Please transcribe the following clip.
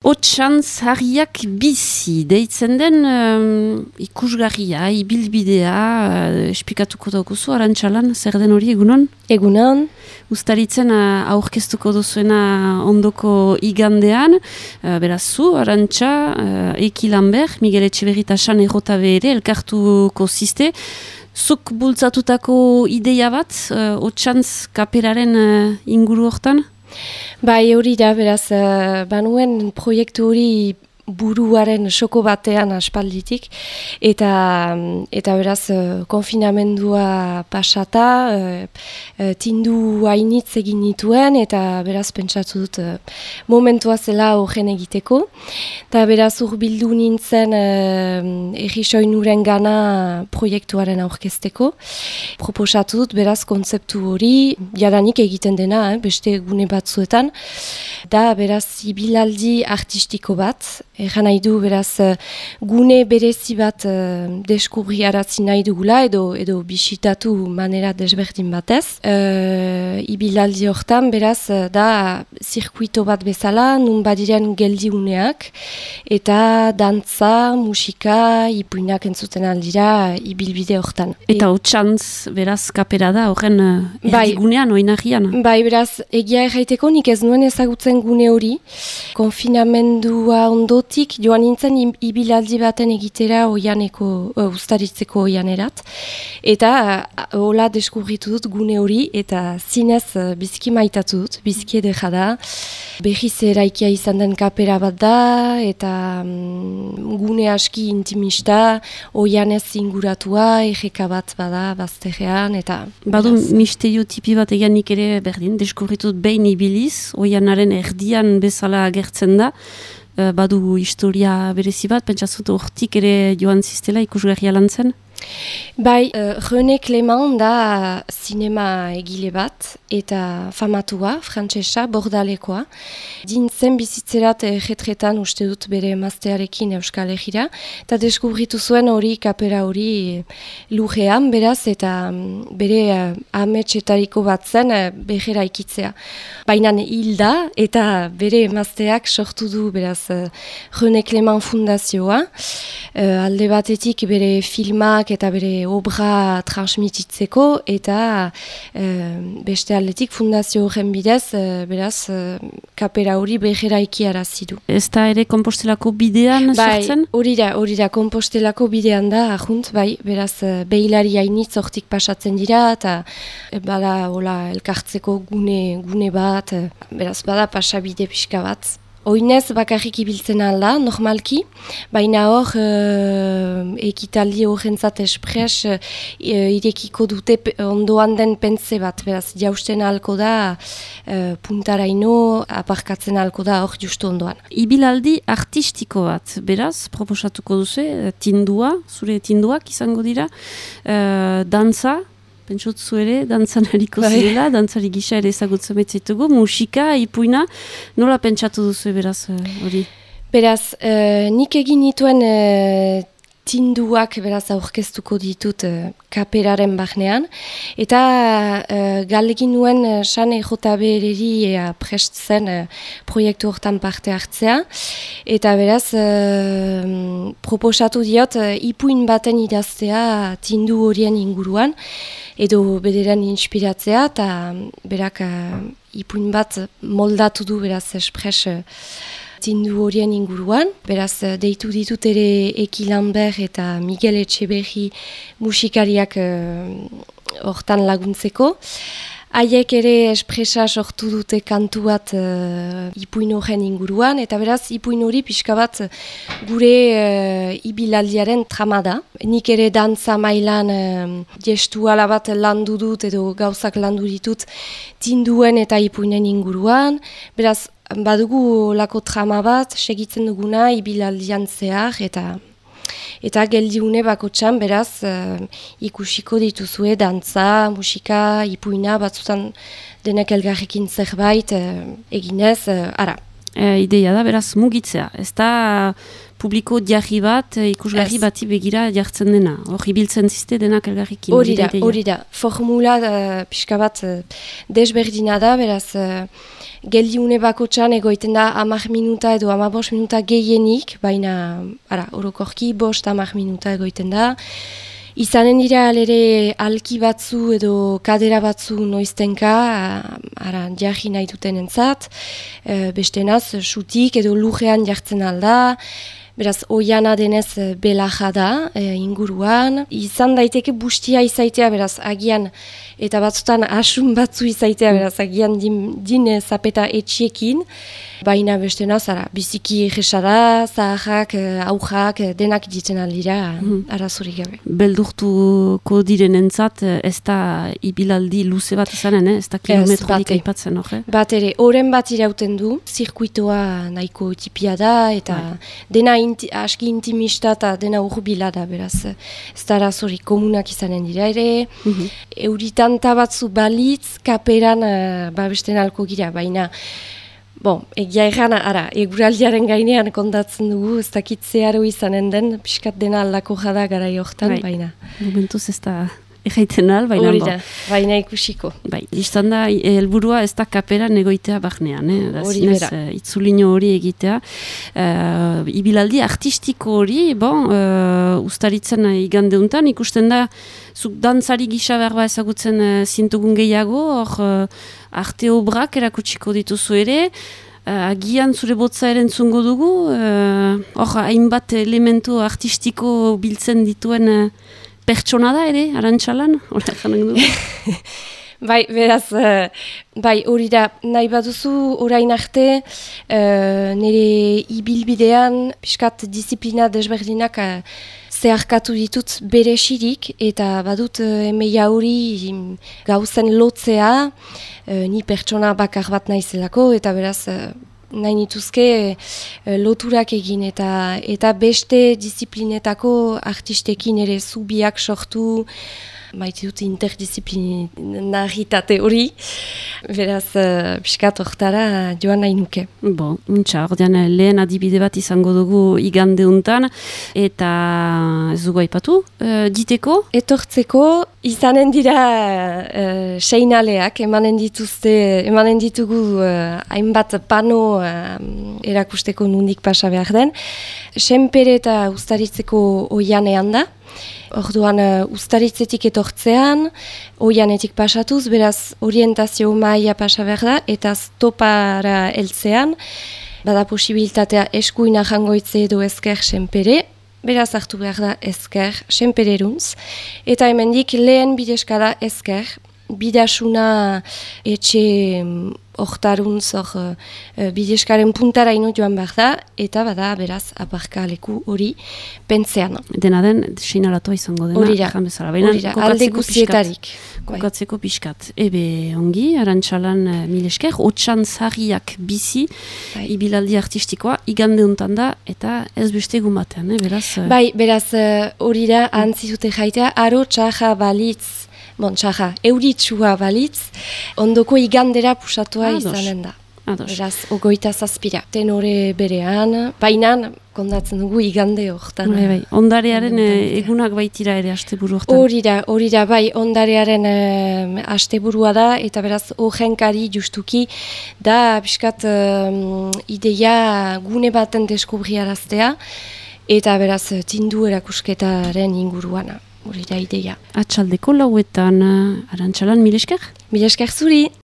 Otsantz harriak bizi, deitzen den ikusgarria, ibilbidea, esplikatuko daukuzu, Arantxalan, zer den hori egunon? Egunon. Uztaritzen aurkeztuko duzuena ondoko igandean, beraz zu, Arantxa, Eki Lambert, Miguel Etxeberritasan errotabe ere, elkartuko ziste, zuk bultzatutako ideia bat, Otsantz kaperaren inguru hortan? Bai, hori da, beraz, banuen proiektu hori buruaren soko batean aspalditik, eta beraz, konfinamendua pasata, tindu hainitz egin nituen, eta beraz, pentsatu dut momentua zela horren egiteko. Eta beraz, urbildu nintzen errisoinuren gana proiektuaren aurkezteko. Proposatu dut, beraz, kontzeptu hori, jadanik egiten dena, beste gune batzuetan, da, beraz, ibilaldi artistiko bat, erran nahi du, beraz, gune berezi bat deskubriarazi nahi dugula, edo bisitatu manera desberdin batez. Ibilaldi hortan, beraz, da, zirkuito bat bezala, nun badiren geldiuneak, eta dantza, musika, ipuinak entzuten aldira ibilbide hortan. Eta Otsantz, beraz, kapera da, horren erdigunean, oinarrian? Bai, beraz, egia erraiteko, nik ez nuen ezagutzen gune hori. Konfinamendua ondotik, joan nintzen ibilaldi baten egitera uztaritzeko oianerat. Eta hola deskubritu dut gune hori, eta zinez biziki maitatu dut, biziki edera da. Behiz eraikia izan den kapera bat da, eta gune aski intimista, oianez inguratua, erreka bat bada, bazterrean, eta... Badu misterio tipi bat eganik ere berdin, deskubritu dut behin ibiliz, oianaren erdian bezala agertzen da, badu historia berezi bat, pentsatzut hortik ere joan ziztela ikusgarria lan zen? Bai, René Clément da zinema egile bat, eta famatua, frantsesa, bordalekoa. Dintzen bizitzerat retretan uste dut bere emaztearekin Euskal Herrira, eta deskubritu zuen hori kapera hori lujean, beraz, eta bere ametsetariko bat zen behera ikitzea. Baina hilda, eta bere emazteak sortu du, beraz, René Clément Fundazioa, alde batetik bere filmak eta bere obra transmititzeko, eta beste aldetik fundazio horren bidez, beraz, kapera hori behera ikiarazi du. Ez da ere Kompostelako bidean sartzen? Bai, hori da, Kompostelako bidean da, ahunt, bai, beraz, behilari hainitz hortik pasatzen dira, eta bada, hola, elkartzeko gune bat, beraz, bada pasabide pixka bat. Oinez bakarrik ibiltzen alda, normalki, baina hor ekitaldi horrentzat espres irekiko dute ondoan den pentze bat, beraz, jausten ahalko da, puntaraino aparkatzen ahalko da hor justu ondoan. Ibilaldi artistiko bat, beraz, proposatuko duzu, tindua, zure tinduak izango dira, dantza, pentsotzu ere, dantzan hariko zirela, dantzari gisa ere ezagutzen betzetugu, musika, ipuina, nola pentsatu duzu beraz hori? Beraz, nik egin nituen tinduak beraz aurkeztuko ditut kaperaren bahnean, eta galegin nuen San EJB-eri prest zen proiektu hortan parte hartzea, eta beraz proposatu diot ipuin baten idaztea tindu horien inguruan, edo bederen inspiratzea, eta berak ipuin bat moldatu du beraz espres tindu horien inguruan. Beraz, deitu ditut ere Eki Lambert eta Miguel Etxeberri musikariak hortan laguntzeko. Haiek ere espresa sortu dute kantu bat ipuin horren inguruan, eta beraz, ipuin hori pixka bat gure ibilaldiaren trama da. Nik ere dantza mailan gestuala bat landu dut edo gauzak landu ditut tinduen eta ipuinen inguruan. Beraz, badugu lako trama bat, segitzen duguna ibilaldian zehar, eta geldiune bakotxan, beraz, ikusiko dituzue dantza, musika, ipuina, batzutan denek elgarrekin zerbait eginez, ara. Ideia da, beraz, mugitzea. Ez da publiko jarri bat, ikusgarri bati begira jartzen dena. Hor, ibiltzen ziste denak elgarrikin. Hori da. Formula pixka bat desberdina da, beraz, geldiune bakotxan egoiten da 10 minuta edo 15 minuta gehienik, baina, orokorki 5-10 minuta egoiten da. Izanen dira alere alki batzu edo kadera batzu noiztenka, jarri nahi duten entzat, bestenaz, sutik edo lujean jartzen alda, beraz, oiana denez belaja da inguruan. Izan daiteke bustia izaitea, beraz, agian, eta batzutan asun batzu izaitea, beraz, agian din zapeta etxiekin, baina bestenaz, biziki egesada, zaharrak, aujak, denak ditzen aldira, arazorik gabe. Beldurtuko direnentzat ez da ibilaldi luze bat izanen, ez da kilometrorik aipatzen, hor? Bat ere, oren bat irauten du, zirkuitoa nahiko tipia da, eta dena aski intimista eta dena urbila da, beraz, ez da arazorik komunak izanen dira ere, euritanta batzu balitz, kaperan babesten alko gira, baina, egia erran, eguraldiaren gainean kontatzen dugu, ez dakit zeharo izanen den, pixkat dena aldako jada gara jortan, baina. Momentuz ez da erraiten al, baina. Hori da, baina ikusiko. Listan da, helburua ez da kaperan egoitea barnean, hori bera. Itzulino hori egitea. Ibilaldi artistiko hori, ustaritzen igandeuntan, ikusten da, zuk dantzari gisa berba ezagutzen zintugun gehiago, hor arte obrak erakutsiko dituzu ere, agian zure botza erentzungo dugu, hor hainbat elementu artistiko biltzen dituen pertsona da ere, Arantxalan, hori janak dugu. Beraz, hori da, nahi baduzu orain arte, nire ibilbidean, pixkat disiplina desberdinak zeharkatu ditut beresirik, eta badut emeia hori gauzen lotzea, ni pertsona bakar bat naizelako, eta beraz, nahi nituzke loturak egin, eta beste disiplinetako artistekin ere zubiak sortu, maite dut interdisciplinaritate hori, beraz, piskat hortara joan nahi nuke. Ordean lehen adibide bat izango dugu igandeuntan, eta ez dugu aipatu, diteko? Etortzeko, izanen dira seinaleak, emanen ditugu hainbat pano erakusteko nundik pasa behar den. Senpere eta Uztaritzeko oianean da. Orduan, Uztaritzetik etortzean, oianetik pasatuz, beraz orientazio maila pasa behar da, eta stopara heltzean, bada posibilitatea eskuina jangoitze edo ezker senpere, beraz hartu behar da ezker senpereruntz, eta hemendik lehen bideskada ezker, bidasuna etxe hortaruntz bideskaren puntaraino joan behar da, eta bada beraz aparka leku hori pentzean. Dena den, seinalatua izango dena. Hori da, alde guztietarik. Kokatzeko pixkat. Ongi, Arantxalan mil esker, otxan zarriak bizi, ibilaldi artistikoa, igandeuntan da, eta ez beste egun batean, beraz? Beraz, hori da, antzizute jaitea, aro txaja balitz, euritsua balitz, ondoko igandera pusatua izanen da. Beraz, 27. Tenore berean, bainan, kondatzen dugu igande horretan. Ondarearen egunak baitira ere asteburu horretan. Hori da, ondarearen asteburua da, eta beraz, horrenkari justuki, da, piskat, ideia gune baten deskubriaraztea, eta beraz, tindu erakusketaren inguruana. Hori da ideia. Atxaldeko lauetan, Arantxalan, mil esker? Mil esker zuri!